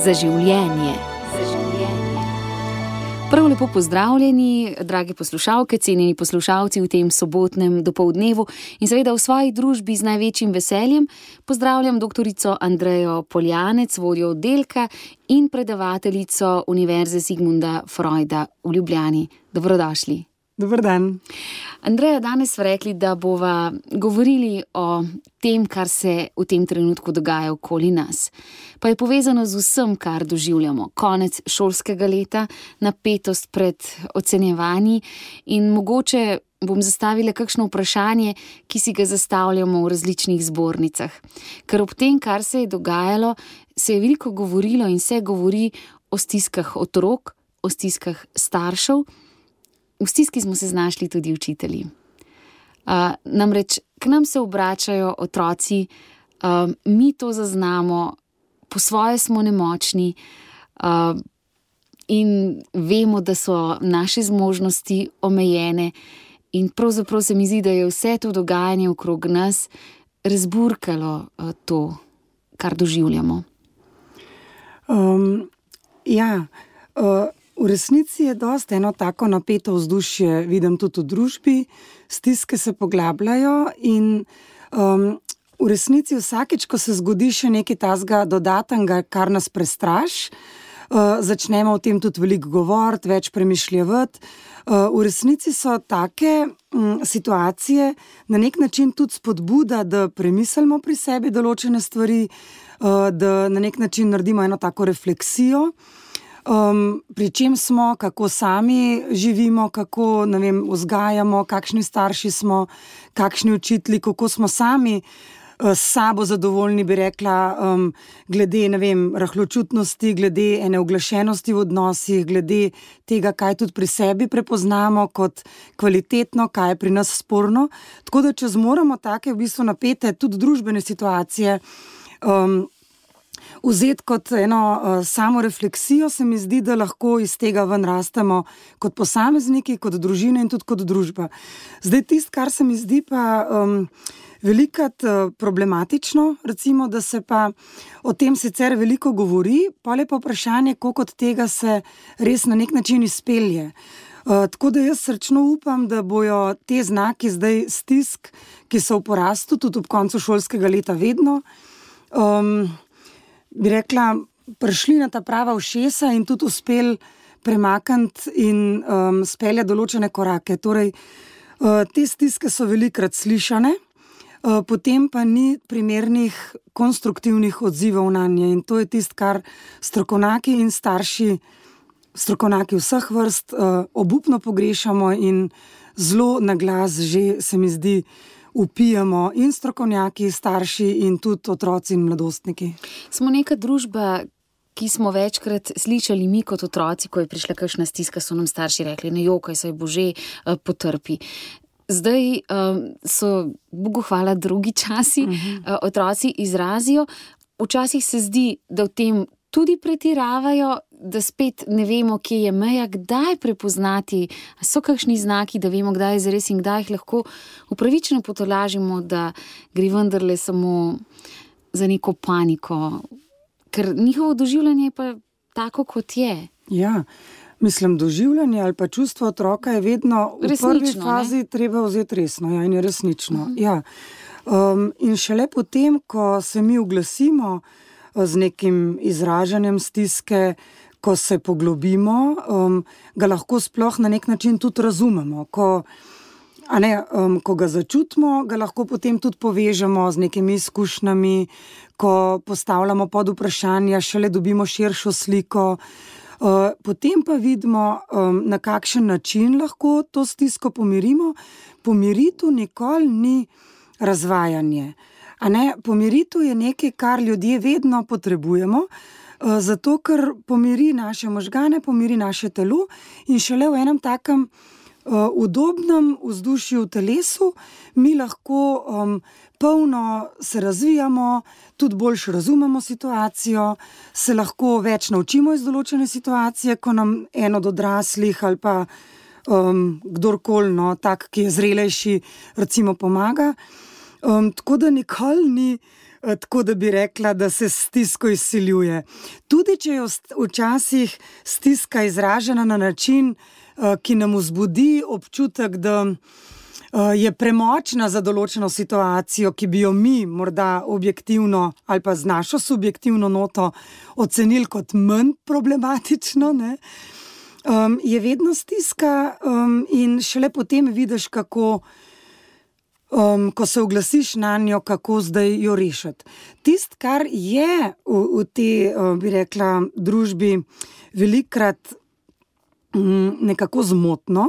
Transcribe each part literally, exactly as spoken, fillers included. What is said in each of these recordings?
za življenje. Za življenje. Prav lepo pozdravljeni, drage poslušalke, cenjeni poslušalci v tem sobotnem dopoldnevu in seveda v svoji družbi z največjim veseljem pozdravljam doktorico Andrejo Poljanec, vodjo oddelka in predavateljico Univerze Sigmunda Freuda v Ljubljani. Dobrodošli. Dober dan. Andreja, danes smo rekli, da bova govorili o tem, kar se v tem trenutku dogaja okoli nas. Pa je povezano z vsem, kar doživljamo. Konec šolskega leta, napetost pred ocenjevanji in mogoče bom zastavila kakšno vprašanje, ki si ga zastavljamo v različnih zbornicah. Ker ob tem, kar se je dogajalo, se je veliko govorilo in se govori o stiskah otrok, o stiskah staršev. V stiski smo se znašli tudi učitelji. Uh, namreč, k nam se obračajo otroci, uh, mi to zaznamo, po svoje smo nemočni uh, in vemo, da so naše zmožnosti omejene in pravzaprav se mi zdi, da je vse to dogajanje okrog nas razburkalo uh, to, kar doživljamo. Um, ja, uh... V resnici je dosti eno tako napeto vzdušje, vidim tudi v družbi, stiske se poglabljajo in um, v resnici vsakič, ko se zgodi še nekaj tazga dodatnega, kar nas prestraši, uh, začnemo o tem tudi veliko govoriti, več premišljevati. Uh, v resnici so take um, situacije na nek način tudi spodbuda, da premislimo pri sebi določene stvari, uh, da na nek način naredimo eno tako refleksijo. Um, pri čem smo, kako sami živimo, kako, ne vem, vzgajamo, kakšni starši smo, kakšni učitelji, kako smo sami uh, s sabo zadovoljni, bi rekla, um, glede, ne vem, rahločutnosti, glede ene uglašenosti v odnosih, glede tega, kaj tudi pri sebi prepoznamo kot kvalitetno, kaj je pri nas sporno. Tako da, če zmoremo take v bistvu napete tudi družbene situacije, um, vzeti kot eno uh, samo refleksijo, se mi zdi, da lahko iz tega ven rastemo kot posamezniki, kot družine in tudi kot družba. Zdaj tisto, kar se mi zdi pa um, velikrat uh, problematično, recimo, da se pa o tem sicer veliko govori, pa je pa vprašanje, koliko od tega se res na nek način izpelje. Uh, tako da jaz srčno upam, da bojo te znaki zdaj stisk, ki so v porastu tudi ob koncu šolskega leta vedno, um, bi rekla, prišli na ta prava ušesa in tudi uspeli premakniti in um, speljati določene korake. Torej, uh, te stiske so velikrat slišane, uh, potem pa ni primernih konstruktivnih odzivov na nje. In to je tisto, kar strokovnjaki in starši, strokovnjaki vseh vrst, uh, obupno pogrešamo in zelo na glas že, se mi zdi, upijamo in strokovnjaki, starši in tudi otroci in mladostniki. Smo neka družba, ki smo večkrat slišali mi kot otroci, ko je prišla kakšna stiska, so nam starši rekli, ne jokaj, saj bože, potrpi. Zdaj um, so, Bogu hvala, drugi časi, uh-huh. Otroci izrazijo. Včasih se zdi, da v tem tudi pretiravajo, da spet ne vemo, kje je meja, kdaj prepoznati, so kakšni znaki, da vemo, kdaj je zares in kdaj jih lahko upravičeno potolažimo, da gre vendarle samo za neko paniko. Ker njihovo doživljanje je pa tako, kot je. Ja, mislim, doživljanje ali pa čustvo otroka je vedno v resnično, prvi fazi ne? Treba vzeti resno, ja, in je resnično. Uh-huh. Ja. Um, in šele potem, ko se mi oglasimo z nekim izražanjem stiske, ko se poglobimo, um, ga lahko sploh na nek način tudi razumemo. Ko, a ne, um, ko ga začutimo, ga lahko potem tudi povežemo z nekimi izkušnjami, ko postavljamo pod vprašanja, šele dobimo širšo sliko. Uh, potem pa vidimo, um, na kakšen način lahko to stisko pomirimo. Pomiritev nikoli ni razvajanje. A ne, pomiritev je nekaj, kar ljudje vedno potrebujemo, zato ker pomiri naše možgane, pomiri naše telo in šele v enem takem uh, udobnem vzdušju v telesu mi lahko um, polno se razvijamo, tudi boljše razumemo situacijo, se lahko več naučimo iz določene situacije, ko nam en od odraslih ali pa um, kdorkoli, no, tak, ki je zrelejši, recimo pomaga. Um, tako da nikoli ni tako da bi rekla, da se stisko izsiljuje. Tudi če je včasih stiska izražena na način, ki nam vzbudi občutek, da je premočna za določeno situacijo, ki bi jo mi morda objektivno ali pa z našo subjektivno noto ocenili kot manj problematično, ne? Um, je vedno stiska um, in šele potem vidiš, kako, um, ko se oglasiš na njo, kako zdaj jo rešiti. Tist, kar je v, v tej, uh, bi rekla, družbi velikrat um, nekako zmotno,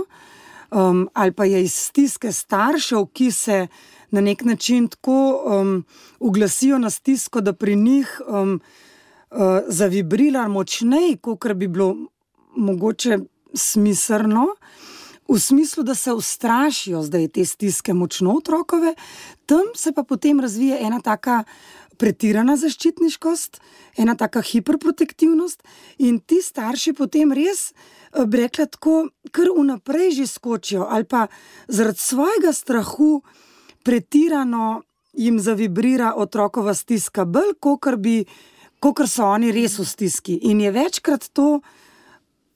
um, ali pa je iz stiske staršev, ki se na nek način tako um, uglasijo na stisko, da pri njih um, uh, zavibrira močnej, kakor bi bilo mogoče smiselno, v smislu, da se ustrašijo zdaj te stiske močno otrokove, tam se pa potem razvije ena taka pretirana zaščitniškost, ena taka hiperprotektivnost in ti starši potem res, bi rekla tako, kar vnaprej že skočijo ali pa zaradi svojega strahu pretirano jim zavibrira otrokova stiska bolj, kakor bi, kakor so oni res v stiski. In je večkrat to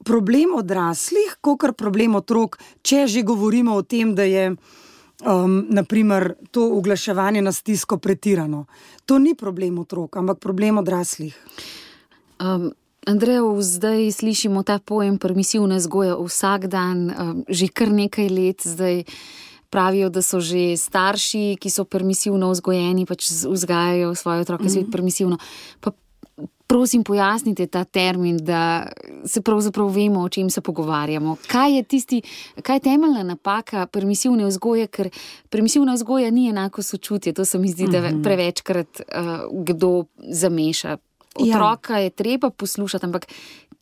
problem odraslih, kakor problem otrok, če že govorimo o tem, da je um, naprimer to uglaševanje na stisko pretirano. To ni problem otrok, ampak problem odraslih. Um, Andrejo, zdaj slišimo ta pojem permisivna vzgoja vsak dan, um, že kar nekaj let zdaj pravijo, da so že starši, ki so permisivno vzgojeni, pač vzgajajo svoje otroke svet permisivno. Pa prosim, pojasnite ta termin, da se pravzaprav vemo, o čem se pogovarjamo. Kaj je tisti, kaj je temeljna napaka permisivne vzgoje, ker permisivna vzgoja ni enako sočutje, to se mi zdi, da prevečkrat uh, kdo zameša. Otroka je treba poslušati, ampak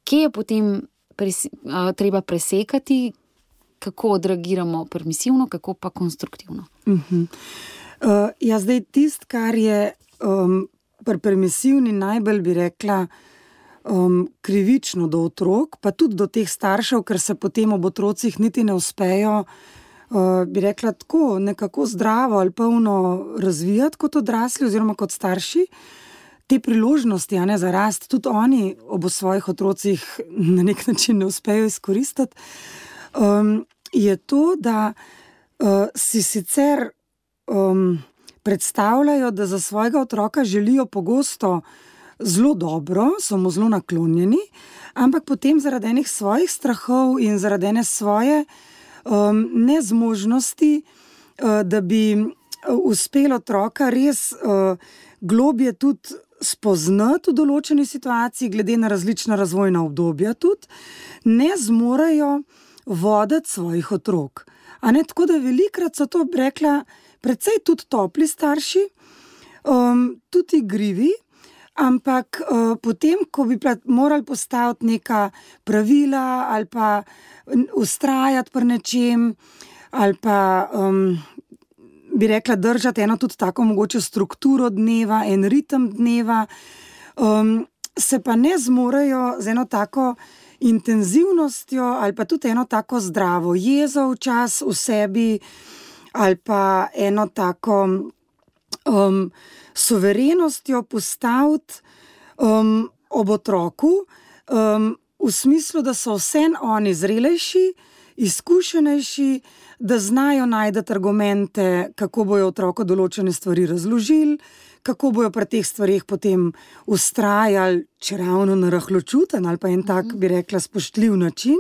kje je potem pres, uh, treba presekati, kako odreagiramo permisivno, kako pa konstruktivno? Uh-huh. Uh, ja, zdaj tist, kar je um, pri permisivni najbolj, bi rekla, um, krivično do otrok, pa tudi do teh staršev, ker se potem ob otrocih niti ne uspejo, uh, bi rekla, tako nekako zdravo ali polno razvijati kot odrasli oziroma kot starši. Te priložnosti, a ne, za rast, tudi oni ob svojih otrocih na nek način ne uspejo izkoristiti, um, je to, da uh, si sicer um, predstavljajo, da za svojega otroka želijo pogosto zelo dobro, so mu zelo naklonjeni, ampak potem zaradi enih svojih strahov in zaradi ene svoje um, nezmožnosti, uh, da bi uspelo otroka res uh, globje tudi spoznati v določeni situaciji, glede na različna razvojna obdobja tudi, ne zmorejo voditi svojih otrok. A ne, tako da velikrat so to, rekla, precej tudi topli starši, um, tudi igrivi, ampak uh, potem, ko bi morali postaviti neka pravila ali pa vztrajati pri nečem, ali pa um, bi rekla, držati eno tudi tako mogoče strukturo dneva, en ritem dneva, um, se pa ne zmorejo z eno tako intenzivnostjo ali pa tudi eno tako zdravo jezo včas v sebi, ali pa eno tako um, suverenostjo postaviti um, ob otroku, um, v smislu, da so vsem oni zrelejši, izkušenejši, da znajo najti argumente, kako bojo otroku določene stvari razložili, kako bojo pri teh stvarih potem vztrajali, če ravno na rahločuten ali pa en tak, bi rekla, spoštljiv način.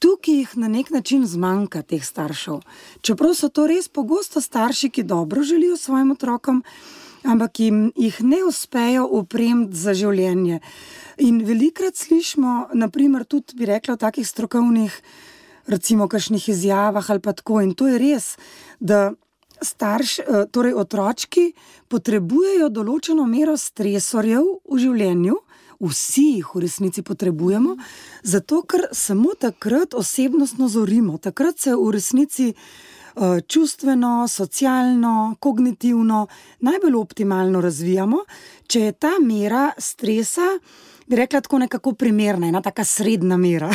Tukaj jih na nek način zmanjka teh staršev. Čeprav so to res pogosto starši, ki dobro želijo svojim otrokom, ampak jim jih ne uspejo opremiti za življenje. In velikrat slišimo, naprimer tudi, bi rekla, v takih strokovnih, recimo, kakšnih izjavah ali pa tako, in to je res, da starš, torej otročki potrebujejo določeno mero stresorjev v življenju, vsi jih v resnici potrebujemo, zato ker samo takrat osebnostno zorimo, takrat se v resnici čustveno, socialno, kognitivno najbolj optimalno razvijamo, če je ta mera stresa, bi rekla, tako nekako primerna, ena taka srednja mera.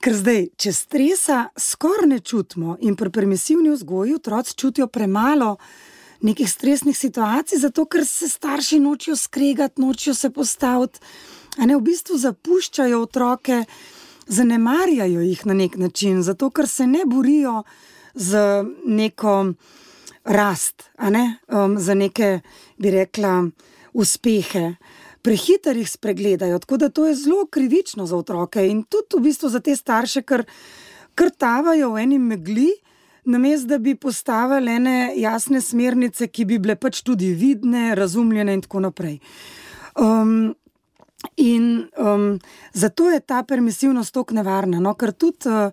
Ker zdaj, če stresa skoraj ne čutimo in pri permisivni vzgoji otroci čutijo premalo nekih stresnih situacij, zato ker se starši nočijo skregati, nočijo se postaviti, a ne v bistvu zapuščajo otroke, zanemarjajo jih na nek način, zato ker se ne borijo z neko rast, a ne, um, za neke, bi rekla, uspehe. Prehiter jih spregledajo, tako da to je zelo krivično za otroke in tudi v bistvu za te starše, ker krtavajo v eni megli, namesto da bi postavili ene jasne smernice, ki bi bile pač tudi vidne, razumljene in tako naprej. Um, in um, zato je ta permisivnost toliko nevarna, no, ker tudi uh,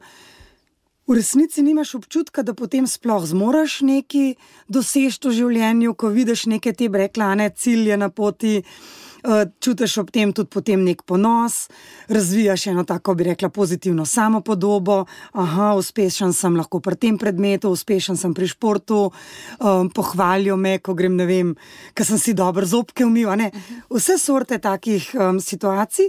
v resnici nimaš občutka, da potem sploh zmoraš nekaj doseči v življenju, ko vidiš neke te breklane cilje na poti, čutiš ob tem tudi potem nek ponos, razvijaš eno tako, bi rekla, pozitivno samopodobo, aha, uspešen sem lahko pri tem predmetu, uspešen sem pri športu, um, pohvalijo me, ko grem, ne vem, ker sem si dobro zobke umil, a ne, vse sorte takih um, situacij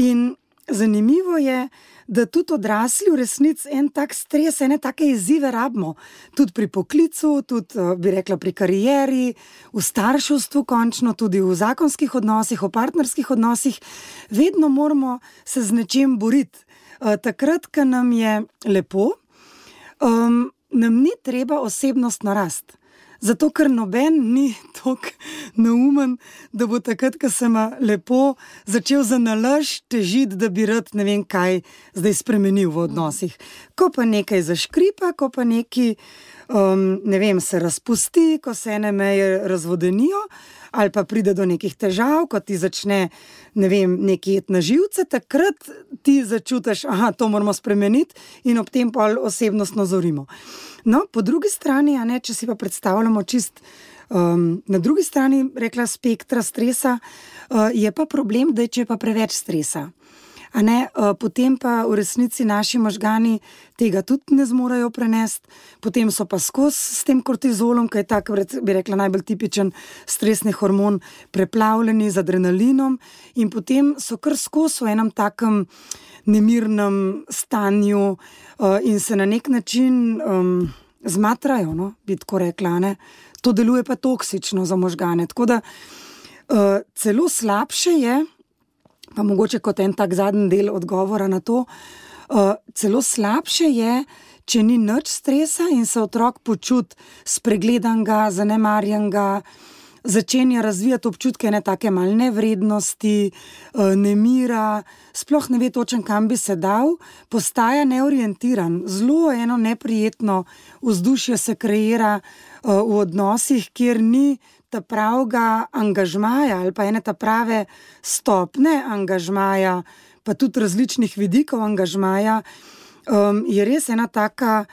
in zanimivo je, da tudi odrasli v resnici en tak stres, ene take izzive rabimo, tudi pri poklicu, tudi, bi rekla, pri karieri, v starševstvu končno, tudi v zakonskih odnosih, v partnerskih odnosih, vedno moramo se z nečim boriti. Takrat, ko nam je lepo, um, nam ni treba osebnostno rast. Zato, ker noben ni toliko neumen, da bo takrat, ko se ima lepo, začel za nalaž težiti, da bi rad ne vem kaj zdaj spremenil v odnosih. Ko pa nekaj zaškripa, ko pa nekaj, um, ne vem, se razpusti, ko se ene meje razvodenijo, ali pa pride do nekih težav, ko ti začne, ne vem, nekaj jet na živce, takrat ti začutiš, aha, to moramo spremeniti in ob tem pol osebnostno zorimo. No, po drugi strani, a ne, če si pa predstavljamo čist um, na drugi strani, rekla, spektra stresa, uh, je pa problem, da je, če je pa preveč stresa. A ne, uh, potem pa v resnici naši možgani tega tudi ne zmorejo prenesti, potem so pa skozi s tem kortizolom, ki je tak, bi rekla, najbolj tipičen stresni hormon, preplavljeni z adrenalinom in potem so kar skozi v enem takem nemirnem stanju uh, in se na nek način um, zmatrajo, no, bi tako rekla, ne. To deluje pa toksično za možgane, tako da uh, celo slabše je, pa mogoče kot en tak zadnji del odgovora na to, uh, celo slabše je, če ni nič stresa in se otrok počuti spregledanega, zanemarjenega, začenja razvijati občutke ene take mal nevrednosti, nemira, sploh ne ve točen, kam bi se dal, postaja neorientiran. Zelo eno neprijetno vzdušje se kreira v odnosih, kjer ni ta pravega angažmaja ali pa ene ta prave stopne angažmaja, pa tudi različnih vidikov angažmaja, um, je res ena taka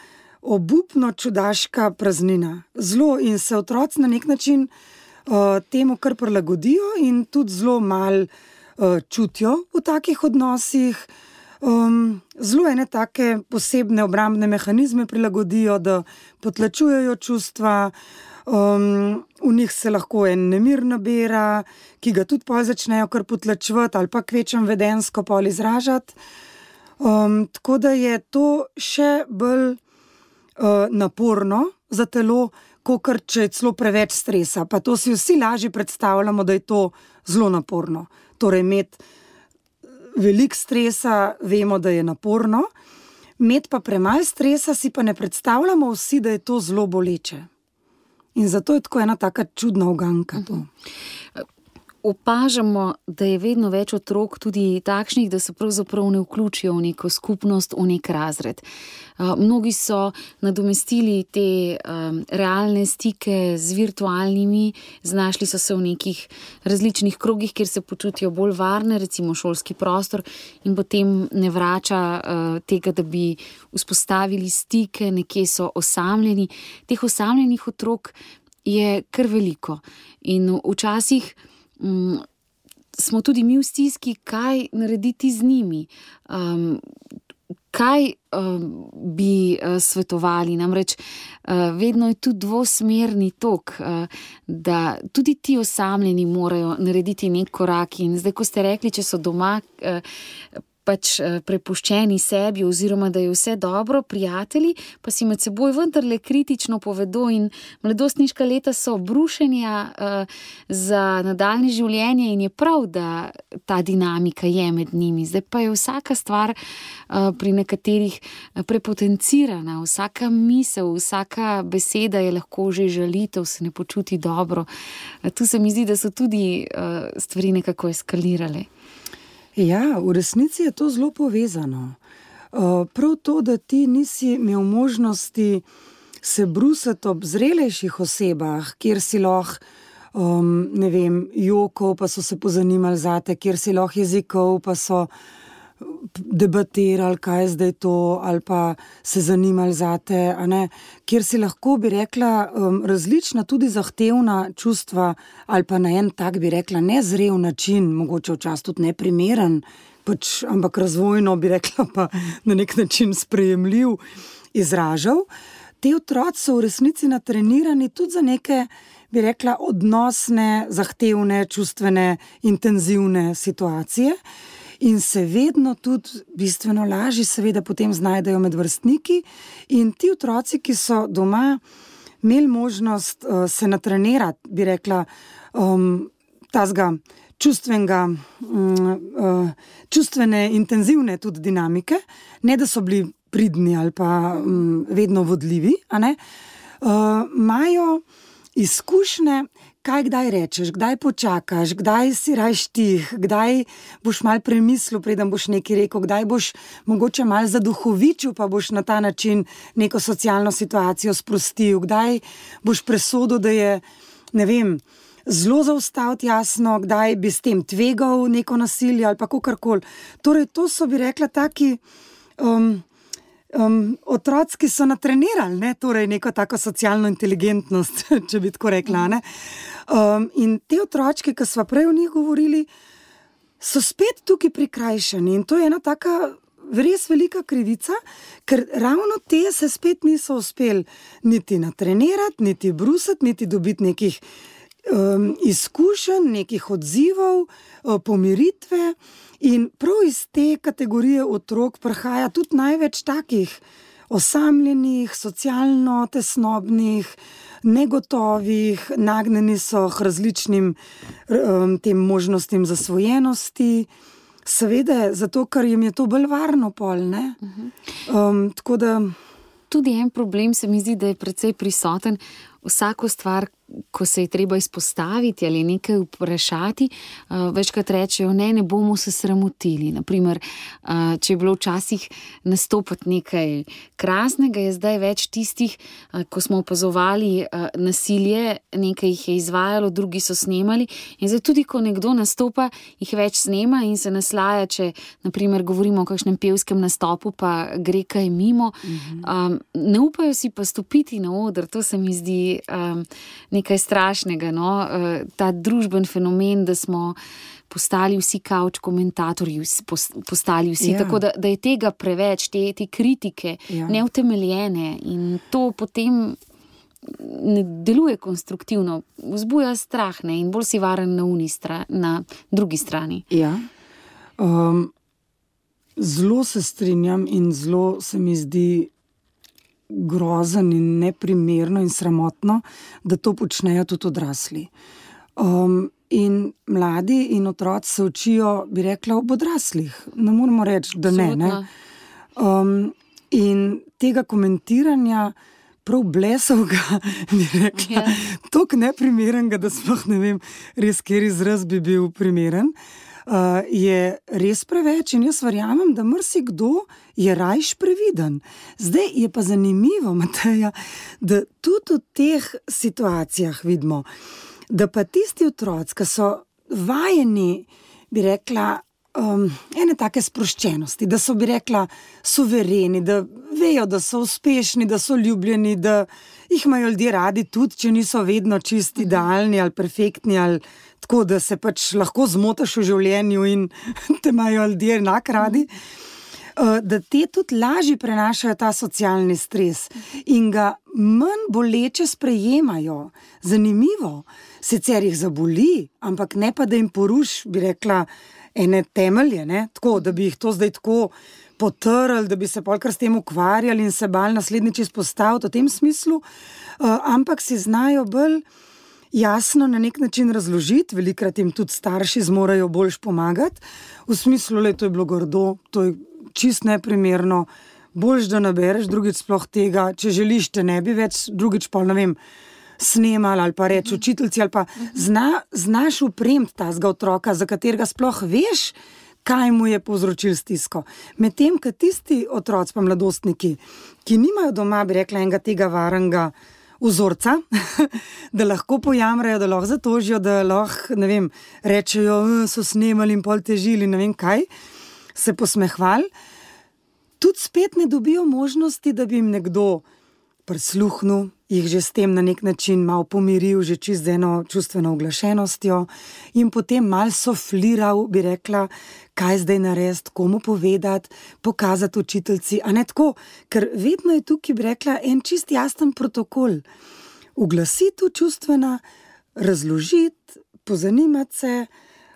obupno čudaška praznina. Zelo in se otroci na nek način Uh, temu kar prilagodijo in tudi zelo malo uh, čutijo v takih odnosih. Um, zelo ene take posebne obrambne mehanizme prilagodijo, da potlačujejo čustva, um, v njih se lahko en nemir nabira, ki ga tudi pol začnejo kar potlačevati ali pa kvečem vedensko pol izražati. Um, tako da je to še bolj uh, naporno za telo, kakor če je celo preveč stresa. Pa to si vsi lažje predstavljamo, da je to zelo naporno. Torej, imeti veliko stresa, vemo, da je naporno, imeti pa premalo stresa, si pa ne predstavljamo vsi, da je to zelo boleče. In zato je tako ena taka čudna uganka to. Opažamo, da je vedno več otrok tudi takšnih, da se pravzaprav ne vključijo v neko skupnost, v nek razred. Mnogi so nadomestili te um, realne stike z virtualnimi, znašli so se v nekih različnih krogih, kjer se počutijo bolj varne, recimo šolski prostor, in potem ne vrača uh, tega, da bi vzpostavili stike, nekje so osamljeni. Teh osamljenih otrok je kar veliko in včasih um, smo tudi mi v stiski, kaj narediti z njimi. Um, Kaj uh, bi uh, svetovali? Namreč uh, vedno je tu dvosmerni tok, uh, da tudi ti osamljeni morajo narediti nek korak. In zdaj, ko ste rekli, če so doma, uh, pač prepuščeni sebi oziroma da je vse dobro, prijatelji pa si med seboj vendarle kritično povedo in mladostniška leta so brušenja uh, za nadaljnje življenje in je prav, da ta dinamika je med njimi. Zdaj pa je vsaka stvar uh, pri nekaterih prepotencirana, vsaka misel, vsaka beseda je lahko že žalitev, se ne počuti dobro. Uh, tu se mi zdi, da so tudi uh, stvari nekako eskalirale. Ja, v resnici je to zelo povezano. Uh, prav to, da ti nisi imel možnosti se brusati ob zrelejših osebah, kjer si lahko, um, ne vem, jokov, pa so se pozanimali zate, kjer si lahko jezikov, pa so debatirali, kaj je zdaj to, ali pa se zanimali zate, a ne, kjer si lahko, bi rekla, um, različna, tudi zahtevna čustva, ali pa na en tak, bi rekla, nezrel način, mogoče včasih tudi neprimeren, pač, ampak razvojno, bi rekla, pa na nek način sprejemljiv, izražal. Te otroci so v resnici natrenirani tudi za neke, bi rekla, odnosne, zahtevne, čustvene, intenzivne situacije. In se vedno tudi bistveno lažje seveda potem znajdejo med vrstniki in ti otroci, ki so doma imeli možnost uh, se natrenirati, bi rekla, um, tazga čustvenega, um, uh, čustvene, intenzivne tudi dinamike, ne da so bili pridni ali pa um, vedno vodljivi, a ne, uh, imajo izkušnje, kaj kdaj rečeš, kdaj počakaš, kdaj si rajš tih, kdaj boš mal premislil, preden boš nekaj rekel, kdaj boš mogoče mal zaduhovičil, pa boš na ta način neko socialno situacijo sprostil, kdaj boš presodil, da je, ne vem, zelo zaustaviti jasno, kdaj bi s tem tvegal neko nasilje ali pa kakorkoli. Torej, to so, bi rekla, taki um, Um, otroci, ki so natrenirali, ne? Torej neko tako socialno inteligentnost, če bi tako rekla. Ne? Um, in te otročke, ki smo prej o njih govorili, so spet tukaj prikrajšani in to je ena taka res velika krivica, ker ravno te se spet niso uspeli niti natrenirati, niti brusati, niti dobiti nekih um, izkušenj, nekih odzivov, um, pomiritve. In prav iz te kategorije otrok prihaja tudi največ takih osamljenih, socialno tesnobnih, negotovih, nagnjeni so k različnim um, tem možnostim zasvojenosti. Seveda, zato, ker jim je to bolj varno pol, ne? Um, tako da... Tudi en problem se mi zdi, da je precej prisoten. Vsako stvar, ko se je treba izpostaviti ali nekaj vprašati, uh, večkrat rečejo, ne, ne bomo se sramotili. Naprimer, uh, če je bilo včasih nastopati nekaj krasnega, je zdaj več tistih, uh, ko smo opazovali uh, nasilje, nekaj jih je izvajalo, drugi so snemali in zdaj tudi, ko nekdo nastopa, jih več snema in se naslaja, če naprimer govorimo o kakšnem pevskem nastopu, pa gre kaj mimo. Mhm. Um, ne upajo si pa stopiti na oder, to se mi zdi um, nekaj strašnega, no? Ta družben fenomen, da smo postali vsi kavč komentatorji, postali vsi, ja. Tako da, da je tega preveč, te, te kritike ja. Neutemeljene in to potem ne deluje konstruktivno, vzbuja strah, ne? In bolj si varen na, stra, na drugi strani. Ja, um, zelo se strinjam in zelo se mi zdi grozen in neprimerno in sramotno, da to počnejo tudi odrasli. Um, in mladi in otroci se učijo, bi rekla, ob odraslih. Ne moramo reči, da ne. ne? Um, in tega komentiranja prav blesovga, bi rekla, yeah. Toliko neprimerenega, da sploh ne vem, res, kjer izraz bi bil primeren, uh, je res preveč in jaz verjamem, da marsikdo je rajš previden. Zdaj je pa zanimivo, Mateja, da tudi v teh situacijah vidimo, da pa tisti otroci, ki so vajeni, bi rekla, um, ene take sproščenosti, da so, bi rekla, suvereni, da vejo, da so uspešni, da so ljubljeni, da jih imajo ljudje radi tudi, če niso vedno čisti, idealni ali perfektni, ali tako, da se pač lahko zmotaš v življenju in te imajo ljudje enak radi. da te tudi lažje prenašajo ta socialni stres in ga manj boleče sprejemajo. Zanimivo, sicer jih zaboli, ampak ne pa, da jim poruš, bi rekla, ene temelje, ne? Tako, da bi jih to zdaj tako potrli, da bi se polkar s tem ukvarjali in se bal naslednjič izpostaviti v tem smislu, uh, ampak si znajo bolj jasno na nek način razložiti, velikrat jim tudi starši zmorajo boljš pomagati, v smislu, le, to je bilo grdo, to je čist neprimerno, boljš, da nabereš, drugič sploh tega, če želiš, te ne bi več, drugič pa, ne vem, snemali ali pa reči učiteljci, ali pa zna, znaš upremiti tazga otroka, za katerega sploh veš, kaj mu je povzročil stisko. Medtem, ko tisti otroci pa mladostniki, ki nimajo doma, bi rekla, enega tega varnega vzorca, da lahko pojamrajo, da lahko zatožijo, da lahko, ne vem, rečejo, so snemali in pol težili, ne vem kaj, se posmehvali, tudi spet ne dobijo možnosti, da bi jim nekdo prisluhnil, jih že s tem na nek način malo pomiril, že čist z eno čustveno uglašenostjo in potem malo sofliral, bi rekla, kaj zdaj narediti, komu povedati, pokazati učiteljci, a ne tako, ker vedno je tukaj, bi rekla, en čist jasen protokol. Uglasiti čustvena, razložiti, pozanimati se,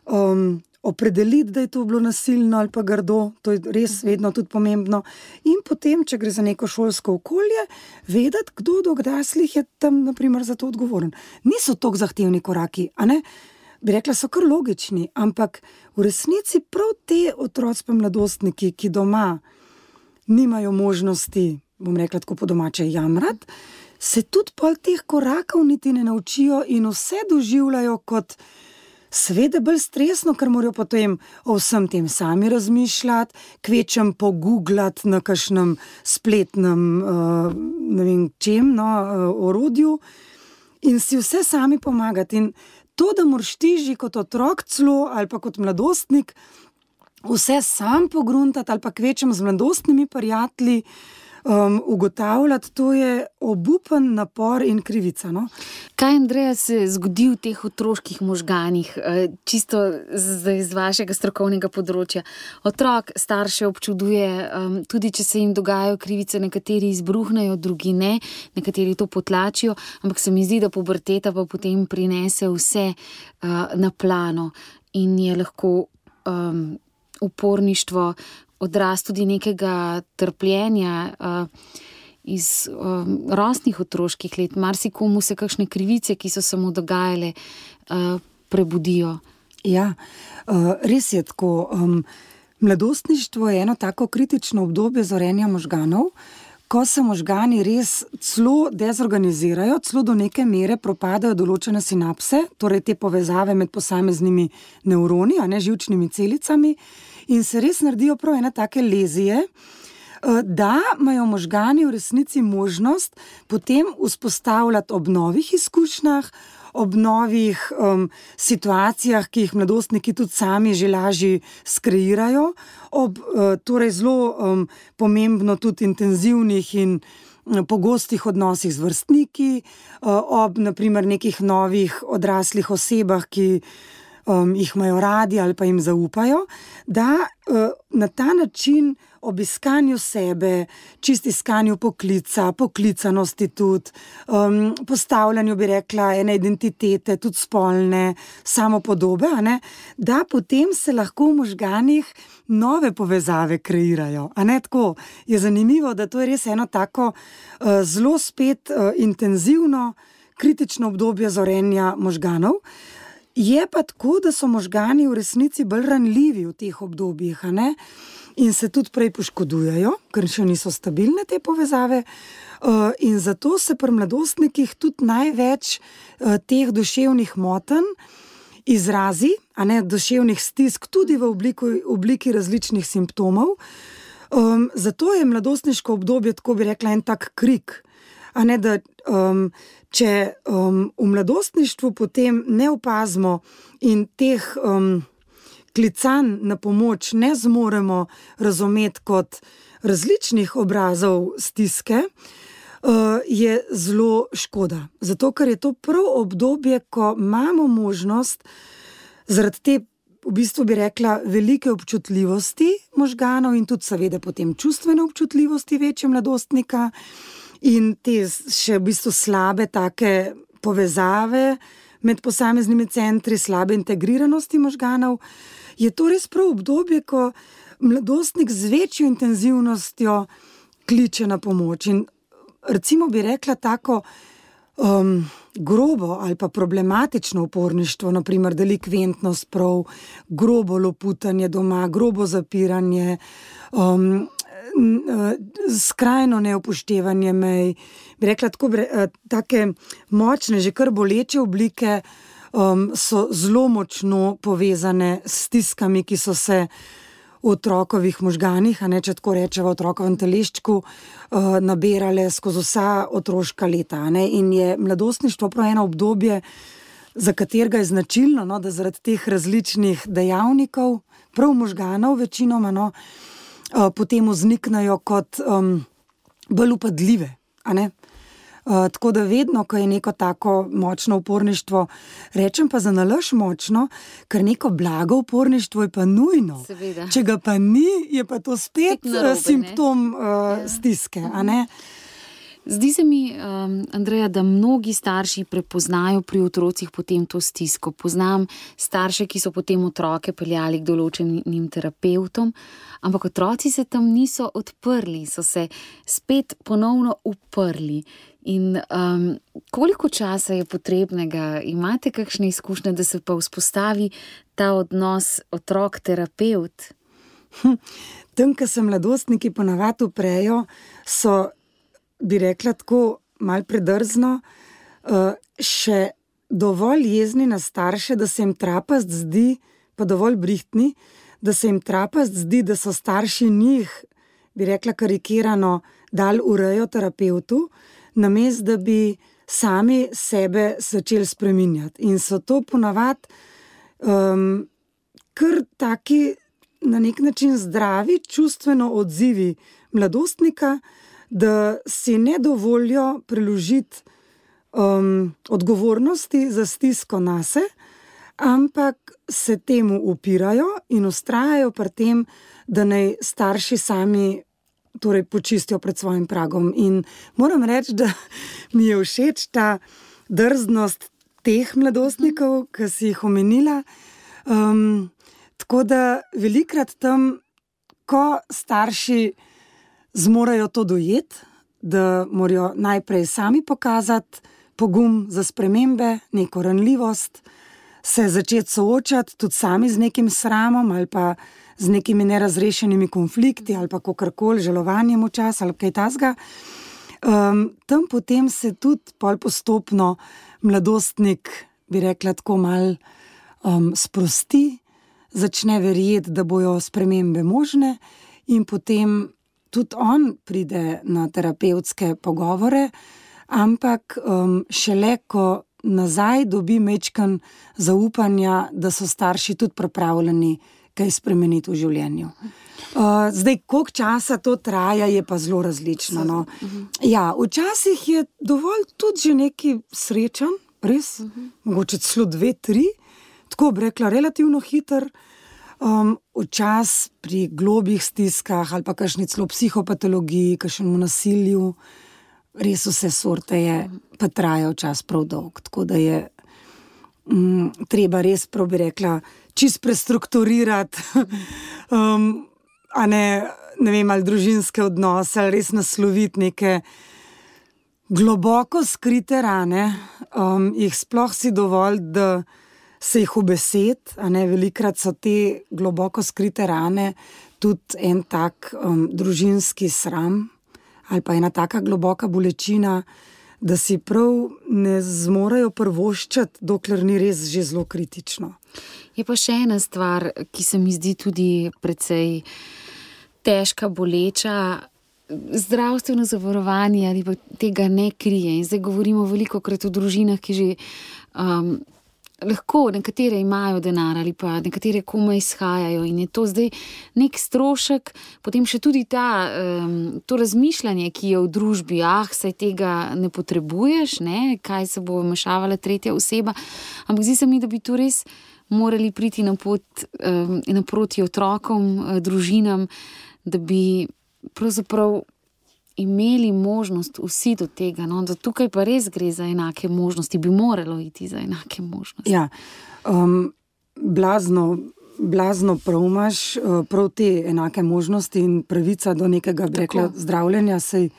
um, opredeliti, da je to bilo nasilno ali pa grdo, to je res vedno tudi pomembno. In potem, če gre za neko šolsko okolje, vedeti, kdo od odraslih je tam, na primer, za to odgovoren. Niso toliko zahtevni koraki, a ne? Bi rekla, so kar logični, ampak v resnici prav te otroci pa mladostniki, ki doma nimajo možnosti, bom rekla tako po domače, jamrati, se tudi pol teh korakov niti ne naučijo in vse doživljajo kot seveda bolj stresno, ker morajo potem o vsem tem sami razmišljati, kvečem pogooglati na kakšnem spletnem, uh, ne vem čem, no, uh, orodju in si vse sami pomagati. In to, da moraš ti že kot otrok celo ali pa kot mladostnik vse sam pogruntati ali pa kvečem z mladostnimi prijatelji, Um, ugotavljati, to je obupen napor in krivica. No? Kaj, Andreja, se zgodi v teh otroških možganih, čisto z, z vašega strokovnega področja? Otrok starše občuduje, um, tudi če se jim dogajajo krivice, nekateri izbruhnejo, drugi ne, nekateri to potlačijo, ampak se mi zdi, da puberteta pa potem prinese vse uh, na plano in je lahko um, uporništvo, odraz tudi nekega trpljenja uh, iz uh, rosnih otroških let. Marsikomu se kakšne krivice, ki so se mu dogajale, uh, prebudijo. Ja, uh, res je tako. Um, mladostništvo je eno tako kritično obdobje zorenja možganov, ko se možgani res celo dezorganizirajo, celo do neke mere propadajo določene sinapse, torej te povezave med posameznimi nevroni, a ne živčnimi celicami, in se res naredijo prav ene take lezije, da imajo možgani v resnici možnost potem vzpostavljati ob novih izkušnjah, ob novih um, situacijah, ki jih mladostniki tudi sami že lažje skreirajo, ob uh, torej zelo um, pomembno tudi intenzivnih in um, pogostih odnosih z vrstniki, uh, ob naprimer nekih novih odraslih osebah, ki um, jih imajo radi ali pa jim zaupajo, da uh, na ta način ob iskanju sebe, čist iskanju poklica, poklicanosti tudi, um, postavljanju, bi rekla, ene identitete, tudi spolne, samopodobe, a ne, da potem se lahko v možganih nove povezave kreirajo. A ne, tako je zanimivo, da to je res eno tako uh, zelo spet uh, intenzivno, kritično obdobje zorenja možganov. Je pa tako, da so možgani v resnici bolj ranljivi v teh obdobjih, a ne? In se tudi prej poškodujejo, ker še niso stabilne te povezave, in zato se pri mladostnikih tudi največ teh duševnih motenj izrazi, a ne, duševnih stisk, tudi v obliki, obliki različnih simptomov. Um, zato je mladostniško obdobje, tako bi rekla, en tak krik, a ne, da um, če um, v mladostništvu potem ne opazimo in teh um, klicanj na pomoč ne zmoremo razumeti kot različnih obrazov stiske, uh, je zelo škoda. Zato, ker je to prav obdobje, ko imamo možnost zaradi te v bistvu bi rekla velike občutljivosti možganov in tudi seveda potem čustvene občutljivosti večje mladostnika in te še v bistvu slabe take povezave med posameznimi centri, slabe integriranosti možganov, je to res prav obdobje, ko mladostnik z večjo intenzivnostjo kliče na pomoč. In recimo bi rekla tako um, grobo ali pa problematično uporništvo, naprimer delikventnost prav, grobo loputanje doma, grobo zapiranje, um, skrajno neupoštevanje mej, bi rekla tako, take močne, že kar boleče oblike um, so zelo močno povezane s stiskami, ki so se v otrokovih možganih, a ne, če tako rečeva, v otrokovem teleščku, uh, nabirale skozi vsa otroška leta. A ne, in je mladostništvo prav eno obdobje, za katerega je značilno, no, da zaradi teh različnih dejavnikov, prav možganov večinoma, no, uh, potem vzniknajo kot um, bolj upadljive, a ne. Uh, tako da vedno, ko je neko tako močno uporništvo, rečem pa za nalaž močno, ker neko blago uporništvo je pa nujno. Seveda. Če ga pa ni, je pa to spet narobe, simptom uh, ja. stiske, a ne? Zdi se mi, um, Andreja, da mnogi starši prepoznajo pri otrocih potem to stisko. Poznam starše, ki so potem otroke peljali k določenim terapevtom, ampak otroci se tam niso odprli, so se spet ponovno uprli. In um, koliko časa je potrebnega? Imate kakšne izkušnje, da se pa vzpostavi ta odnos otrok-terapevt? Hm, tam, ko se mladostniki ponavadi uprejo, so, bi rekla tako malo predrzno, uh, še dovolj jezni na starše, da se jim trapast zdi, pa dovolj brihtni, da se jim trapast zdi, da so starši njih, bi rekla karikirano, dal urejo terapevtu, namesto da bi sami sebe začeli spreminjati. In so to ponavadi um, kar taki na nek način zdravi, čustveno odzivi mladostnika, da si ne dovolijo preložiti um, odgovornosti za stisko nase, ampak se temu upirajo in vztrajajo pri tem, da naj starši sami torej počistijo pred svojim pragom. In moram reči, da mi je všeč ta drznost teh mladostnikov, ki si jih omenila. Um, tako da velikrat tam, ko starši zmorajo to dojeti, da morajo najprej sami pokazati pogum za spremembe, neko ranljivost, se začeti soočati tudi sami z nekim sramom ali pa z nekimi nerazrešenimi konflikti ali pa kakorkoli, žalovanjem včasih ali kaj tasga. Um, tam potem se tudi pol postopno mladostnik, bi rekla tako mal, um, sprosti, začne verjeti, da bojo spremembe možne in potem tudi on pride na terapevtske pogovore, ampak um, šele, ko nazaj dobi mečkan zaupanja, da so starši tudi pripravljeni kaj spremeniti v življenju. Uh, zdaj, koliko časa to traja, je pa zelo različno. No. Ja, včasih je dovolj tudi že neki srečen, res, uh-huh. mogoče celo dve, tri, tako bi rekla, relativno hiter. Um, včas pri globih stiskah ali pa kakšni celo psihopatologiji, kakšnemu nasilju, res vse sorte je, pa traja včas prav dolg. Tako da je um, treba res, prav bi rekla, čist prestrukturirati, um, a ne, ne vem, ali družinske odnose, ali res nasloviti neke globoko skrite rane, um, jih sploh si dovolj, da se jih ubesed, a ne, velikrat so te globoko skrite rane tudi en tak um, družinski sram ali pa ena taka globoka bolečina, da si prav ne zmorejo prvoščati, dokler ni res že zelo kritično. Je pa še ena stvar, ki se mi zdi tudi precej težka, boleča, zdravstveno zavarovanje ali pa tega ne krije. In zdaj govorimo velikokrat o družinah, ki že um, lahko nekatere imajo denar ali pa nekatere komaj izhajajo in je to zdaj nek strošek, potem še tudi ta, um, to razmišljanje, ki je v družbi, ah, saj tega ne potrebuješ, ne, kaj se bo vmešavala tretja oseba, ampak zdi se mi, da bi tu res morali priti na pot um, naproti otrokom, družinam, da bi pravzaprav imeli možnost vsi do tega, no, da tukaj pa res gre za enake možnosti, bi moralo iti za enake možnosti. Ja, um, blazno, blazno prav imaš, prav te enake možnosti in pravica do nekega, bi rekla, zdravljenja, saj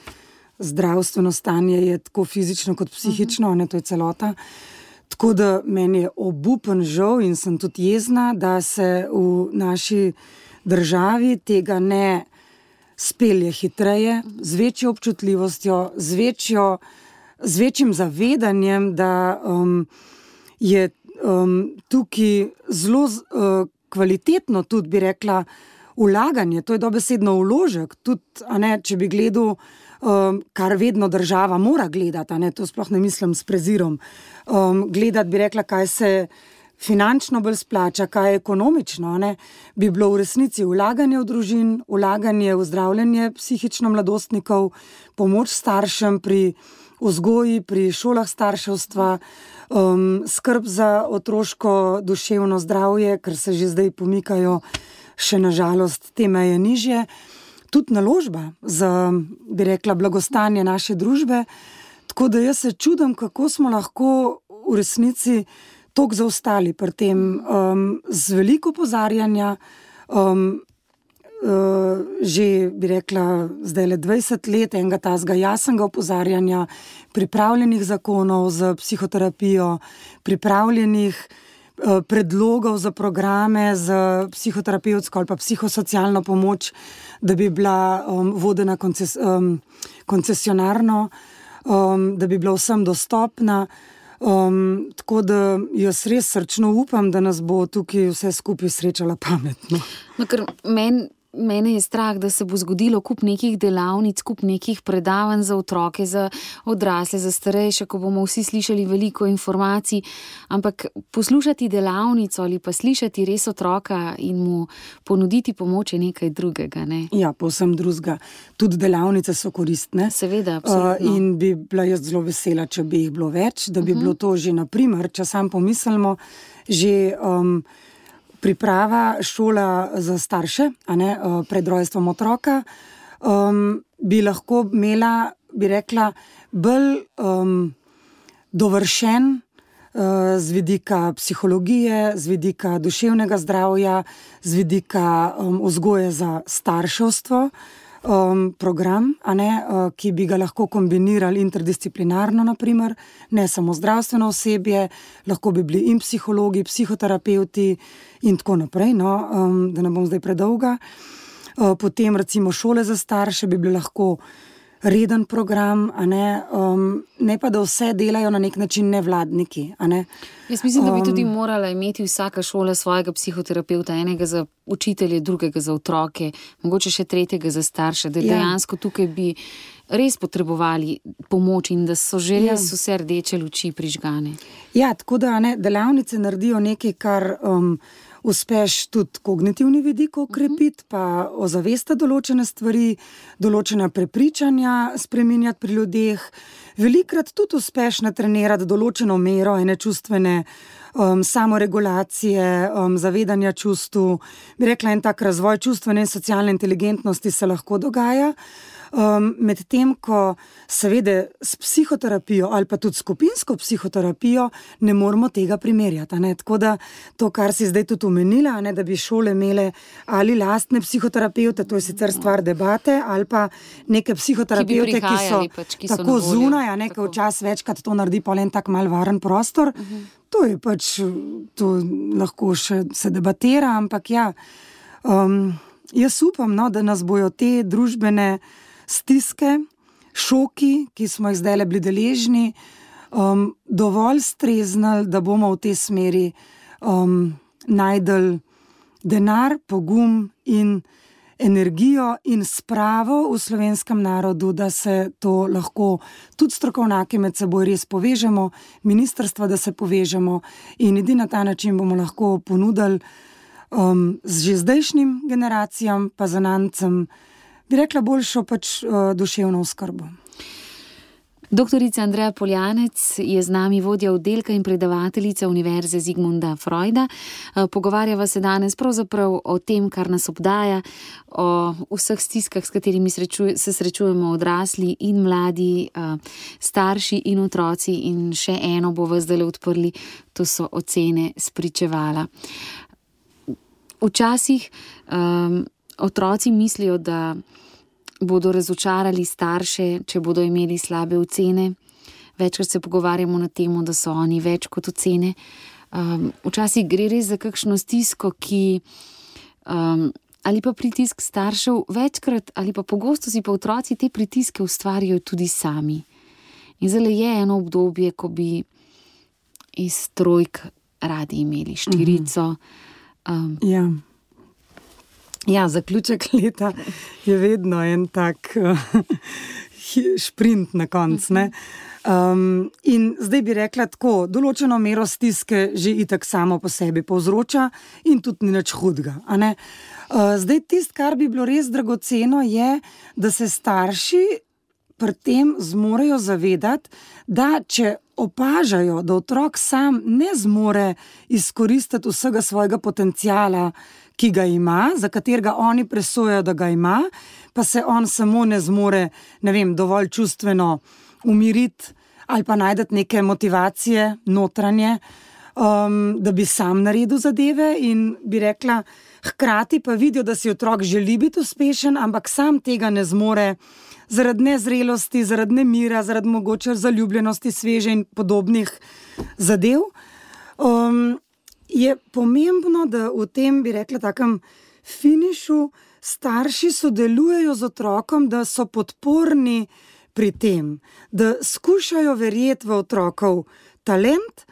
zdravstveno stanje je tako fizično kot psihično, uh-huh. ne, to je celota. Tako da meni je obupen žal in sem tudi jezna, da se v naši državi tega ne spelje hitreje, z večjo občutljivostjo, z, večjo, z večjim zavedanjem, da um, je um, tukaj zelo uh, kvalitetno tudi, bi rekla, vlaganje, to je dobesedno vložek, tudi, a ne, če bi gledal, um, kar vedno država mora gledati, a ne, to sploh ne mislim s prezirom, um, gledati, bi rekla, kaj se finančno bolj splača, kaj je ekonomično, ne, bi bilo v resnici vlaganje v družin, vlaganje v zdravljenje psihično mladostnikov, pomoč staršem pri vzgoji, pri šolah starševstva, um, skrb za otroško duševno zdravje, ker se že zdaj pomikajo še nažalost te meje nižje, tudi naložba za, bi rekla, blagostanje naše družbe, tako da jaz se čudim, kako smo lahko v resnici toliko zaostali pri tem, um, z veliko opozarjanja, um, uh, že bi rekla zdaj le dvajset let enega tazga jasnega opozarjanja, pripravljenih zakonov za psihoterapijo, pripravljenih uh, predlogov za programe za psihoterapevtsko ali pa psihosocialno pomoč, da bi bila um, vodena konces, um, koncesionarno, um, da bi bila vsem dostopna. Um, tako da jaz res srčno upam, da nas bo tukaj vse skupaj srečala pametno. No, ker men, mene je strah, da se bo zgodilo kup nekih delavnic, kup nekih predavanj za otroke, za odrasle, za starejše, ko bomo vsi slišali veliko informacij, ampak poslušati delavnico ali pa slišati res otroka in mu ponuditi pomoč je nekaj drugega, ne? Ja, povsem drugega. Tudi delavnice so koristne. Seveda, absolutno. Uh, in bi bila jaz zelo vesela, če bi jih bilo več, da bi uh-huh. bilo to že, na primer, če sam pomislimo, že um, priprava šola za starše, a ne, pred rojstvom otroka, um, bi lahko imela, bi rekla, bolj um, dovršen uh, z vidika psihologije, z vidika duševnega zdravja, z vidika um, vzgoje za starševstvo, um, program, a ne, uh, ki bi ga lahko kombinirali interdisciplinarno, naprimer, ne samo zdravstveno osebje, lahko bi bili in psihologi, psihoterapevti in tako naprej, no, um, da ne bom zdaj predolga. Uh, potem recimo šole za starše bi bili lahko reden program, a ne, um, ne pa da vse delajo na nek način nevladniki, a ne. Jaz mislim, da bi tudi morala imeti vsaka šola svojega psihoterapevta, enega za učitelje, drugega za otroke, mogoče še tretjega za starše, da ja. dejansko tukaj bi res potrebovali pomoč in da so že res ja. vse rdeče luči prižgane. Ja, tako da, ne, delavnice naredijo nekaj, kar um, uspeš tudi kognitivni vidik okrepiti, pa ozavesta določene stvari, določena prepričanja spreminjati pri ljudeh. Velikrat tudi uspeš natrenirati določeno mero ene čustvene um, samoregulacije, um, zavedanja čustv. Bi rekla, en tak razvoj čustvene in socialne inteligentnosti se lahko dogaja. Um, med tem, ko seveda s psihoterapijo ali pa tudi skupinsko psihoterapijo ne moramo tega primerjati. Ne? Tako da to, kar si zdaj tudi omenila, ne, da bi šole imele ali lastne psihoterapeute, to je sicer stvar debate, ali pa neke psihoterapeute, ki, ki so, pač, ki so tako zunaj, a ne, ki včasih večkrat to naredi pa en tak mal varen prostor. Uh-huh. To je pač, to lahko še se debatira, ampak ja, um, jaz upam, no, da nas bojo te družbene stiske, šoki, ki smo jih zdaj bili deležni, um, dovolj streznali, da bomo v tej smeri um, najdel denar, pogum in energijo in spravo v slovenskem narodu, da se to lahko tudi strokovnjaki med seboj res povežemo, ministrstva, da se povežemo in edino na ta način bomo lahko ponudili um, z že zdajšnjim generacijam, pa zanancem, bi rekla, boljšo pač uh, duševno oskrbo. Doktorica Andreja Poljanec je z nami, vodja oddelka in predavateljica Univerze Zigmunda Freuda. Pogovarjava se danes pravzaprav o tem, kar nas obdaja, o vseh stiskah, s katerimi srečuje, se srečujemo odrasli in mladi, starši in otroci, in še eno bo vas zdaj odprli, to so ocene spričevala. Včasih um, otroci mislijo, da bodo razočarali starše, če bodo imeli slabe ocene. Večkrat se pogovarjamo na temo, da so oni več kot ocene. Um, včasih gre res za kakšno stisko, ki um, ali pa pritisk staršev, večkrat ali pa pogosto si pa otroci te pritiske ustvarjajo tudi sami. In zdaj je eno obdobje, ko bi iz trojk radi imeli štirico. Um, ja. Ja, zaključek leta je vedno en tak uh, šprint na koncu, ne. Um, in zdaj bi rekla tako, določeno mero stiske že itak samo po sebi povzroča in tudi ni nič hudega, a ne. Uh, zdaj tist, kar bi bilo res dragoceno, je, da se starši pri tem zmorejo zavedati, da če opažajo, da otrok sam ne zmore izkoristiti vsega svojega potenciala, ki ga ima, za katerega oni presojajo, da ga ima, pa se on samo ne zmore, ne vem, dovolj čustveno umiriti ali pa najdeti neke motivacije notranje, um, da bi sam naredil zadeve, in bi rekla, hkrati pa vidijo, da si otrok želi biti uspešen, ampak sam tega ne zmore zaradi nezrelosti, zaradi nemira, zaradi mogoče zaljubljenosti, sveže in podobnih zadev. Um, je pomembno, da v tem, bi rekla, takem finišu starši sodelujejo z otrokom, da so podporni pri tem, da skušajo verjeti v otrokov talent,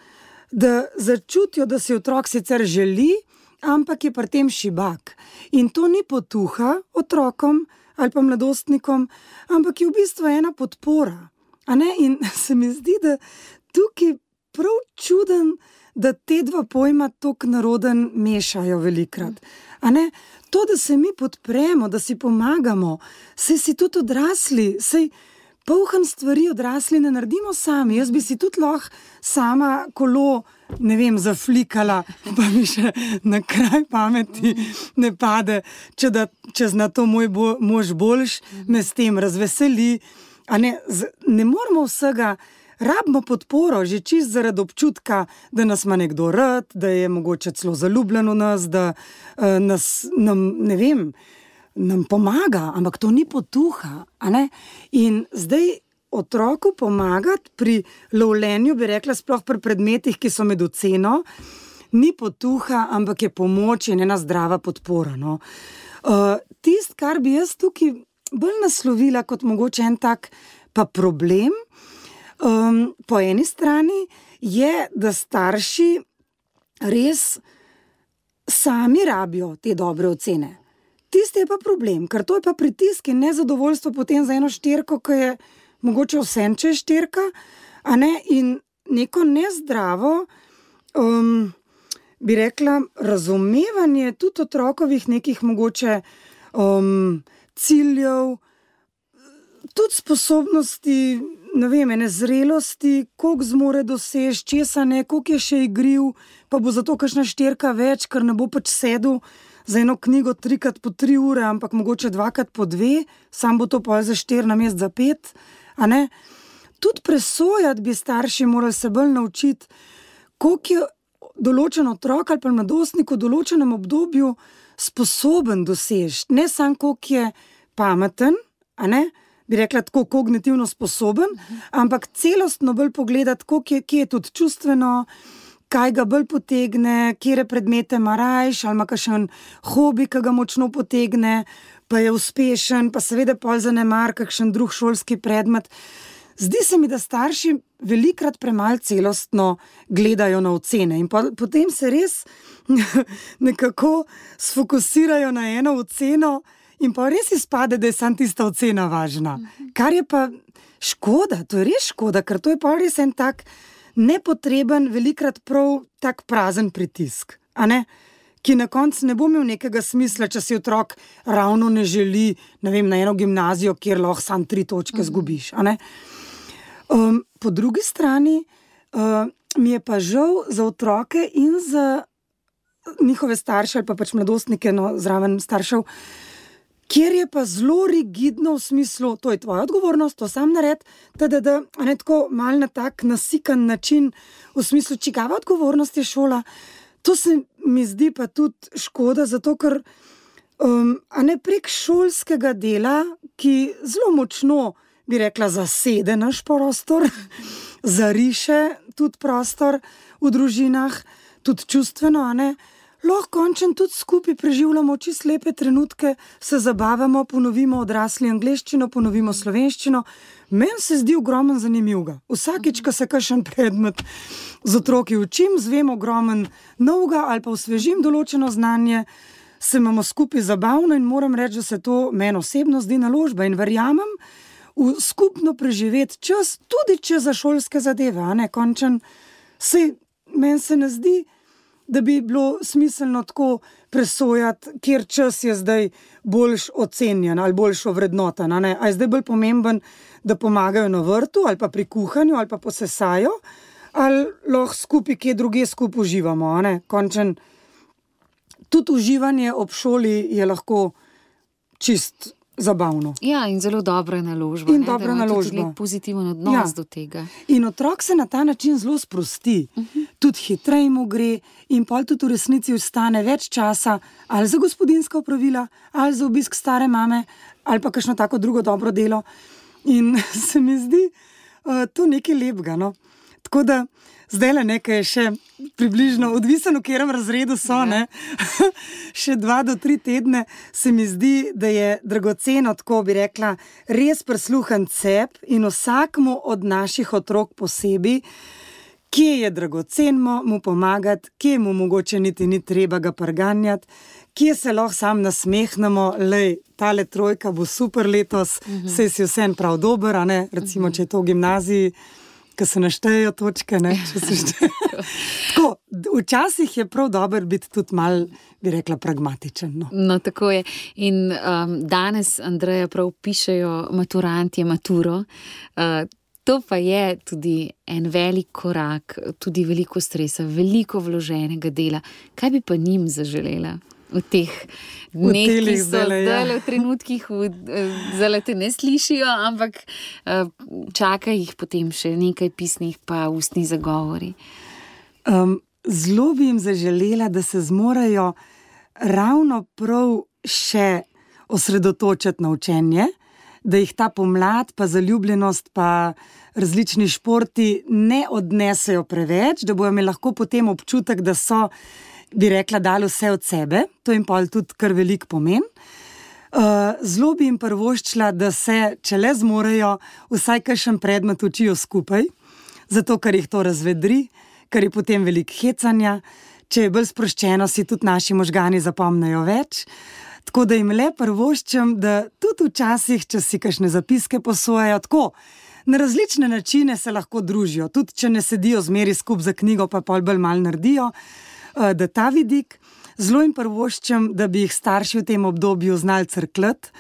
da začutijo, da si otrok sicer želi, ampak je pri tem šibak. In to ni potuha otrokom ali pa mladostnikom, ampak je v bistvu ena podpora. A ne? In se mi zdi, da tukaj prav čuden, da te dva pojma tako naroden mešajo velikrat. A ne? To, da se mi podpremo, da si pomagamo, saj si tudi odrasli, saj polhan stvari odrasli ne naredimo sami. Jaz bi si tudi lahko sama kolo, ne vem, zaflikala, pa mi še na kraj pameti ne pade, če da čez na to moj bo, mož boljš, me s tem razveseli. A ne, z, ne moramo vsega, rabimo podporo, že čist zaradi občutka, da nas ima nekdo rad, da je mogoče celo zaljubljen v nas, da uh, nas, nam, ne vem, nam pomaga, ampak to ni potuha, a ne? In zdaj otroku pomagati pri lovljenju, bi rekla, sploh pri predmetih, ki so med oceno, ni potuha, ampak je pomoč in ena zdrava podpora, no. Uh, tist, kar bi jaz tukaj bolj naslovila kot mogoče en tak pa problem, um, po eni strani je, da starši res sami rabijo te dobre ocene. Tisti je pa problem, ker to je pa pritisk in nezadovoljstvo potem za eno štirko, ki je mogoče vsem, če je štirka, a ne, in neko nezdravo, um, bi rekla, razumevanje tudi otrokovih nekih mogoče um, ciljev, tudi sposobnosti, ne vem, ene zrelosti, koliko zmore dosež, česa ne, koliko je še igriv, pa bo zato kakšna štirka več, ker ne bo pač sedel za eno knjigo trikrat po tri ure, ampak mogoče dvakrat po dve, sam bo to pa za štir namesto za pet, a ne. Tudi presojati bi starši morali se bolj naučiti, koliko je določen otrok ali pa mladostnik v določenem obdobju sposoben dosežiti, ne samo koliko je pameten, a ne, bi rekla tako kognitivno sposoben, ampak celostno bolj pogledati, koliko je, kje je tudi čustveno, kaj ga bolj potegne, kjere predmete ima rajš, ali ima kakšen hobi, ki ga močno potegne, pa je uspešen, pa seveda pol zanemar kakšen drug šolski predmet. Zdi se mi, da starši velikrat premalo celostno gledajo na ocene in po, potem se res nekako sfokusirajo na eno oceno In pa res izpade, da je sam tista ocena važna. Kar je pa škoda, to je res škoda, ker to je pa res en tak nepotreben, velikrat prav tak prazen pritisk, a ne? Ki na koncu ne bo imel nekega smisla, če si otrok ravno ne želi, ne vem, na eno gimnazijo, kjer lahko sam tri točke zgubiš, a ne? Um, po drugi strani uh, mi je pa žal za otroke in za njihove starše ali pa pač mladostnike, no, zraven staršev, kjer je pa zelo rigidno v smislu, to je tvoja odgovornost, to sam nared, da, da, da, a ne tako mal na tak nasikan način, v smislu, čigava odgovornost je šola. To se mi zdi pa tudi škoda, zato ker um, a ne prek šolskega dela, ki zelo močno, bi rekla, zasede naš prostor, zariše tudi prostor v družinah, tudi čustveno, a ne, lahko končen tudi skupaj preživljamo čisto lepe trenutke, se zabavamo, ponovimo odrasli angleščino, ponovimo slovenščino. Meni se zdi ogromno zanimivega. Vsakič, ko se kakšen predmet z otroki učim, zvem ogromen novega ali pa osvežim določeno znanje, se imamo skupaj zabavno in moram reči, da se to meni osebno zdi naložba in verjamem v skupno preživeti čas, tudi če za šolske zadeve, a ne, končen, sej meni se ne zdi, da bi bilo smiselno tako presojati, kjer čas je zdaj boljš ocenjen ali boljš ovrednoten, a ne? A je zdaj bolj pomemben, da pomagajo na vrtu ali pa pri kuhanju ali pa posesajo, ali lahko skupaj kje druge skupaj uživamo, a ne? Končen, tudi uživanje ob šoli je lahko čist zabavno. Ja, in zelo dobra naložba. In ne, dobra da ima naložba. tudi lep pozitiven odnos Ja. do tega. In otrok se na ta način zelo sprosti, uh-huh. tudi hitreje mu gre in pol tudi v resnici ostane več časa ali za gospodinjska opravila, ali za obisk stare mame, ali pa kakšno tako drugo dobro delo. In se mi zdi uh, to nekaj lepega, no. Tako da zdaj le nekaj je še približno, odvisno v katerem razredu so, ja. ne, še dva do tri tedne, se mi zdi, da je dragoceno, tako bi rekla, res prisluhen cep in vsakmu od naših otrok posebej, kje je dragoceno mu pomagati, kje mu mogoče niti ni treba ga prganjati, kje se lahko sam nasmehnemo, lej, tale trojka bo super letos, uh-huh. sej si vsem prav dober, a ne, recimo, uh-huh. če je to v gimnaziji, ko se naštejejo točke, ne, če se štejejo. Tako, včasih je prav dober biti tudi mal, bi rekla, pragmatičen. No, no tako je. In um, danes, Andreja, prav pišejo maturantje maturo. Uh, to pa je tudi en velik korak, tudi veliko stresa, veliko vloženega dela. Kaj bi pa njim zaželela? V teh dneh, ki so zdaj ja. v trenutkih, zdaj te ne slišijo, ampak čaka jih potem še nekaj pisnih pa ustnih zagovori. Um, zelo bi jim zaželela, da se zmorajo ravno prav še osredotočiti na učenje, da jih ta pomlad, pa zaljubljenost, pa različni športi ne odnesejo preveč, da bojo imeli lahko potem občutek, da so, bi rekla, dali vse od sebe, to jim pa tudi kar velik pomen. Uh, zelo bi jim prvoščila, da se, če le zmorejo, vsaj kakšen predmet učijo skupaj, zato ker jih to razvedri, ker je potem veliko hecanja, če je bolj sproščeno, si tudi naši možgani zapomnejo več. Tako da jim le prvoščam, da tudi včasih, če si kakšne zapiske posojajo, tako, na različne načine se lahko družijo, tudi če ne sedijo zmeri skup za knjigo, pa pol bolj mal naredijo, da ta vidik, zelo jim prvoščam, da bi jih starši v tem obdobju znali crkljati,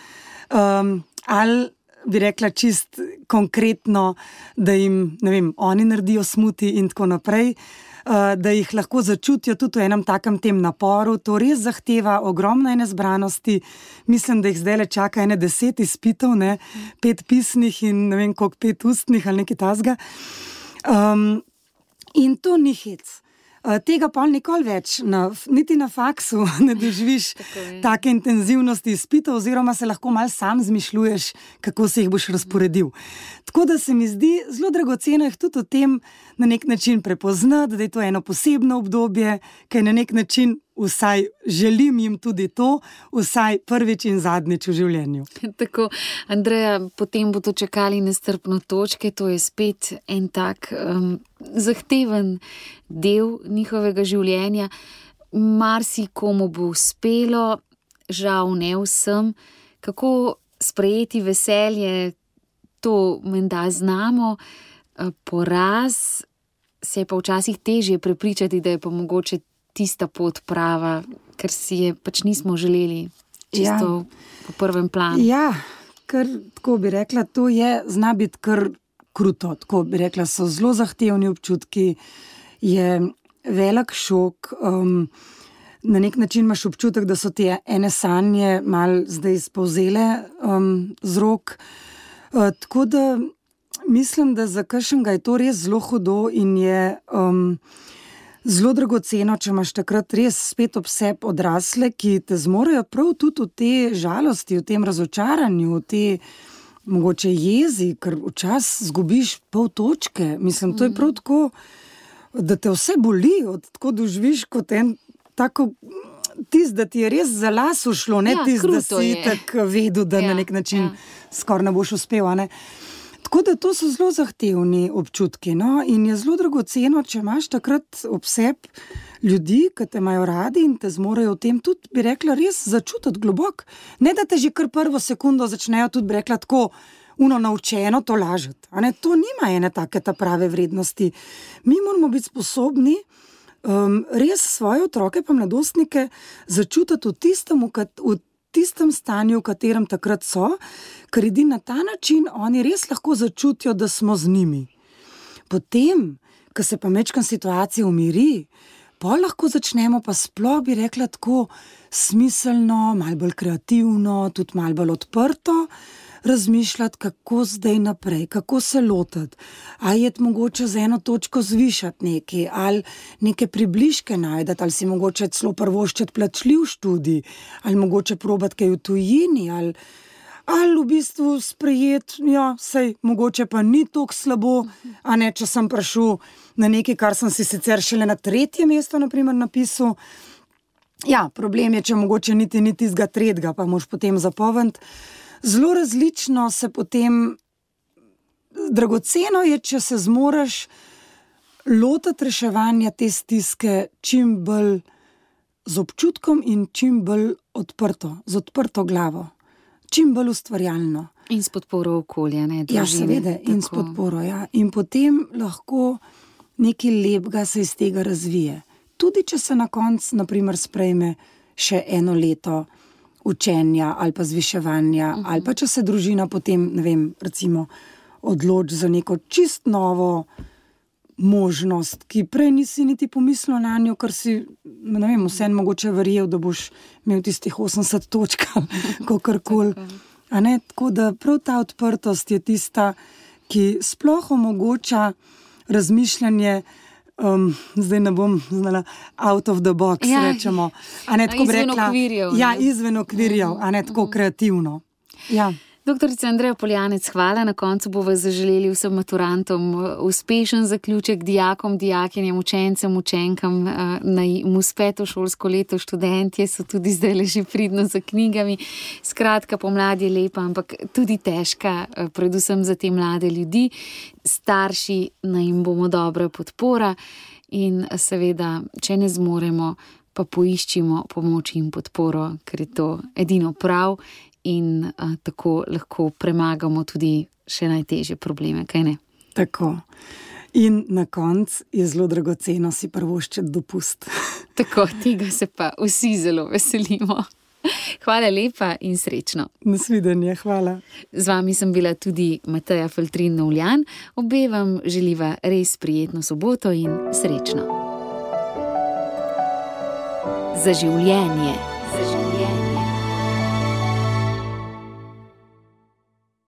um, ali bi rekla čist konkretno, da jim, ne vem, oni naredijo smuti in tako naprej, uh, da jih lahko začutijo tudi v enem takem tem naporu. To res zahteva ogromno ene zbranosti. Mislim, da jih zdaj le čaka ene deset izpitov, ne, pet pisnih in ne vem koliko pet ustnih ali nekaj tasga. Um, in to ni hec. Tega pa nikoli več, na, niti na faksu ne doživiš take intenzivnosti izpitov, oziroma se lahko mal sam zmišljuješ, kako se jih boš razporedil. Tako da se mi zdi zelo dragoceno jih tudi o tem na nek način prepoznati, da je to eno posebno obdobje, ki je na nek način, vsaj želim jim tudi to, vsaj prvič in zadnjič v življenju. Tako, Andreja, potem bo to čakali nestrpno točke, to je spet en tak um, zahteven del njihovega življenja. Marsikomu bo uspelo, žal ne vsem, kako sprejeti veselje, to menda znamo, poraz se je pa včasih težje prepričati, da je pa mogoče tista pot prava, ker si je pač nismo želeli čisto ja. po prvem planu. Ja, ker tako bi rekla, to je, zna biti kar kruto, tako bi rekla, so zelo zahtevni občutki, je velik šok, um, na nek način imaš občutek, da so ti ene sanje mal zdaj spovzele um, z rok, uh, tako da mislim, da za kakšnega je to res zelo hudo in je um, zelo dragoceno, če imaš takrat res spet ob sebi odrasle, ki te zmorejo prav tudi v te žalosti, v tem razočaranju, v te mogoče jezi, ker včasih zgubiš pol točke. Mislim, to je prav tako, da te vse boli, od tako doživiš kot en tako, tist, da ti je res za las ušlo, ne ja, tist, da si tako vedel, da ja, na nek način ja. skoraj ne boš uspel, ne. Tako da to so zelo zahtevni občutki, no, in je zelo dragoceno, če imaš takrat ob sebi ljudi, ki te imajo radi in te zmorejo v tem tudi, bi rekla, res začutiti globok. Ne, da te že kar prvo sekundo začnejo tudi, bi rekla, tako uno naučeno to lažiti. A ne, to nima ene take ta prave vrednosti. Mi moramo biti sposobni um, res svoje otroke pa mladostnike začutiti v tistem, v, v tistem stanju, v katerem takrat so, ker edini na ta način oni res lahko začutijo, da smo z njimi. Potem, ko se pa mečkam situacija umiri, pa lahko začnemo pa sploh, bi rekla, tako smiselno, malo bolj kreativno, tudi malo bolj odprto razmišljati, kako zdaj naprej, kako se lotiti. Ali je mogoče z eno točko zvišati nekaj, ali neke približke najdati, ali si mogoče celo prvoščiti plačljiv študij, ali mogoče probati kaj v tujini, ali, ali v bistvu sprejeti, ja, sej, mogoče pa ni toliko slabo, a ne, če sem prišel na nekaj, kar sem si sicer šele na tretje mesto, na primer, napisal. Ja, problem je, če mogoče niti ni tistega tretjega, pa moš potem zapoventi. Zelo različno se potem, dragoceno je, če se zmoreš lotiti reševanja te stiske čim bolj z občutkom in čim bolj odprto, z odprto glavo, čim bolj ustvarjalno. In s podporo okolja, ne? Družine, ja, seveda, in s podporo, ja. In potem lahko nekaj lepega se iz tega razvije. Tudi, če se na koncu, na primer, sprejme še eno leto učenja ali pa zviševanja, uh-huh. ali pa če se družina potem, ne vem, recimo odloči za neko čist novo možnost, ki prej nisi niti pomislil na njo, ker si, ne vem, vsem mogoče verjel, da boš imel tistih osemdeset točk, kakorkoli. A ne, tako da prav ta odprtost je tista, ki sploh omogoča razmišljanje. Um, zdaj ne bom znala out of the box, ja, rečemo. A ne, tako izven rekla, okvirjev. Ja, izven okvirjev, a ne tako kreativno. Ja. Doktorica Andreja Poljanec, hvala. Na koncu bova zaželeli vsem maturantom uspešen zaključek, dijakom, dijakinjem, učencem, učenkam, naj mu uspe šolsko leto. Študentje so tudi zdaj leži pridno za knjigami. Skratka, pomlad je lepa, ampak tudi težka, predvsem za te mlade ljudi. Starši naj jim bomo dobra podpora in seveda, če ne zmoremo, pa poiščimo pomoč in podporo, ker je to edino prav. In a, tako lahko premagamo tudi še najtežje probleme, kaj ne? Tako. In na koncu je zelo dragoceno si prvoščiti dopust. Tako, tega se pa vsi zelo veselimo. Hvala lepa in srečno. Nasvidenje, hvala. Z vami sem bila tudi Mateja Feltrin-Novljan. Obe vam želiva res prijetno soboto in srečno. Za življenje. Za življenje.